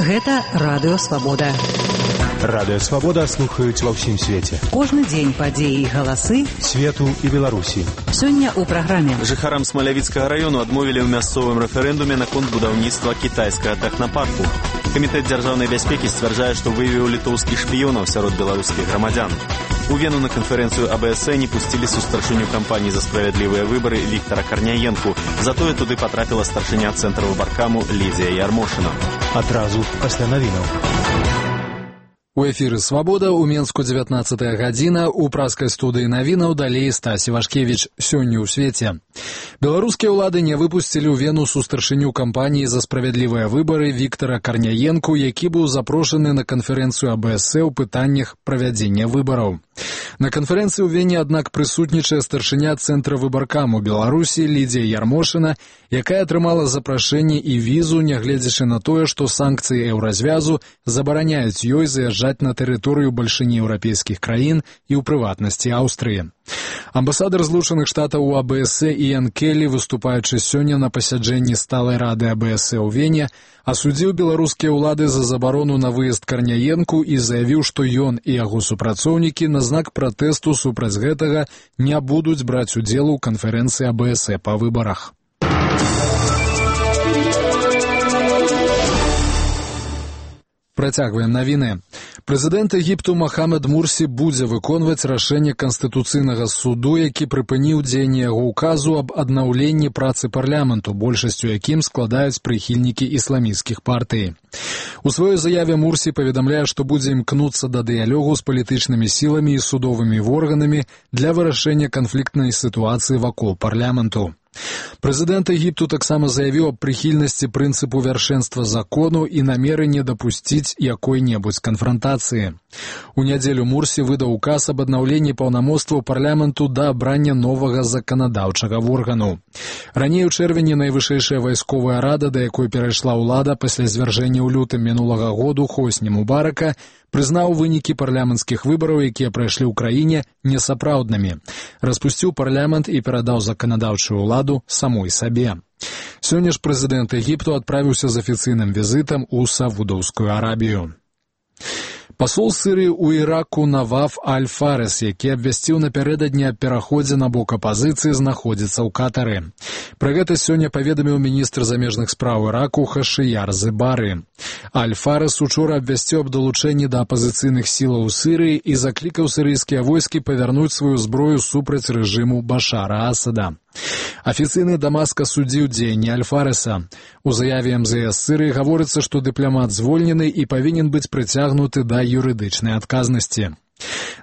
Гэта Радыё Свабода. Радыё Свабода слухаюць ва ўсім свеце. Кожны дзень падзеі і галасы свету і Беларусі. Сёння ў праграме. Жыхарам Смалявіцкага раёну адмовілі ў мясцовым рэферэндуме наконт будаўніцтва кітайскага тэхнапарку. Камітэт дзяржаўнай бяспекі сцвярджае, што выявіў літоўскіх шпіёнаў сярод беларускіх грамадзян. У Вену на канферэнцыю АБС не пусцілі сустарчыню кампаніі за справядлівыя выбары Віктара Карняенку. Затое туды патрапіла старшыня цэнтра выбаркаму Лідзія Ярмошына. Адразу пасля навінаў. У эфіры «Свабода» у Менску 19 гадзіна, у праскай студыі навінаў далей Стась Івашкевіч. Сёння ў свеце. Беларускія ўлады не выпусцілі ў Вену сустарчыню кампаніі за справядлівыя выбары Віктара Карняенку, які быў запрошаны на канферэнцыю АБС ў пытаннях правядзення выбараў. На канферэнцыі ў Вене, аднак, прысутнічае старшыня цэнтра выбаркаму Беларусі Лідзія Ярмошына, якая атрымала запрашэнне і візу, нягледзячы на тое, што санкцыі еўразвязу забараняюць ёй заязджаць на тэрыторыю бальшыні еўрапейскіх краін і ў прыватнасці Аўстрыі. Амбасадар Злучаных Штатаў у АБС Іан Келлі, выступаючы сёння на пасяджэнні сталай рады АБС ў Вене, асудзіў беларускія ўлады за забарону на выезд Карняенку і заявіў, што ён і яго супрацоўнікі на знак пратэсту супраць гэтага не будуць браць удзел у канферэнцыі АБС па выбарах. Працягваем навіны. Прэзідэнт Егіпту Махамед Мурсі будзе выконваць рашэнне Канстытуцыйнага суду, які прыпыніў дзеянне яго ўказу аб аднаўленні працы парламенту, большасцю якім складаюць прыхільнікі ісламісцкіх партый. У сваёй заяве Мурсі паведамляе, што будзе імкнуцца да дыялогу з палітычнымі сіламі і судовымі органамі для вырашэння канфліктнай сітуацыі вакол парламенту. Прэзідэнт Егіпту таксама заявіў аб прыхільнасці прынцыпу вяршэнства закону і намеры не дапусціць якой-небудзь канфрантацыі. У нядзелю Мурсі выдаў указ аб аднаўленні паўнамоцтваў парламенту да абрання новага заканадаўчага органу. Раней у чэрвені найвышэйшая вайсковая рада, да якой перайшла ўлада пасля звяржэння ў лютым мінулага году Хосні Мубарака, прызнаў вынікі парламенцкіх выбараў, якія прайшлі ў краіне, несапраўднымі. Распусціў парламент і перадаў заканадаўчую ўладу самой сабе. Сёння ж прэзідэнт Егіпту адправіўся з афіцыйным візітам у Саудаўскую Арабію. Пасол Сірыі ў Іраку Наваф Аль-Фарес, які абвясціў напярэдадні аб пераходзе на бок апазіцыі, знаходзіцца ў Катары. Пра гэта сёння паведаміў міністр замежных спраў Іраку Хашыяр Зыбары. Аль-Фарес учора абвясціў аб далучэнні да апазіцыйных сілаў у Сірыі і заклікаў сірыйскія войскі павярнуць сваю зброю супраць рэжыму Башара Асада. Афіцыйны Дамаск асудзіў дзеянні Аль-Фареса. У заяве МЗС Сірыі гаворыцца, што дыпламат звольнены і павінен быць прыцягнуты да юрыдычнай адказнасці.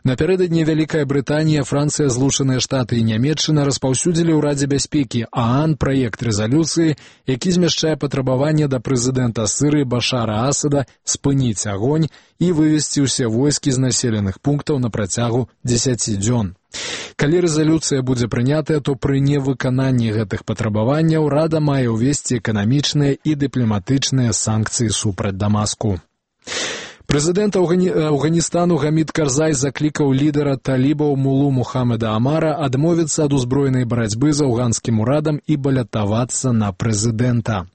Напярэдадні Вялікая Брытанія, Францыя, Злучаныя Штаты і Нямецчына распаўсюдзілі ў Радзе бяспекі ААН праект рэзалюцыі, які змяшчае патрабаванне да прэзідэнта Сірыі Башара Асада спыніць агонь і вывесці ўсе войскі з населеных пунктаў на працягу 10 дзён. Калі рэзалюцыя будзе прынятая, то пры невыкананні гэтых патрабаванняў Рада мае ўвесці эканамічныя і дыпламатычныя санкцыі супраць Дамаску. Прэзідэнт Афганістану Гамід Карзай заклікаў лідара талібаў Мулу Мухаммеда Амара адмовіцца ад узброенай барацьбы з афганскім урадам і балятавацца на прэзідэнта.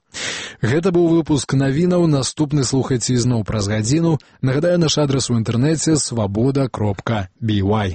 Гэта быў выпуск навінаў, наступны слухайце ізноў праз гадзіну. Нагадаю, наш адрас у інтэрнэце свабода.by.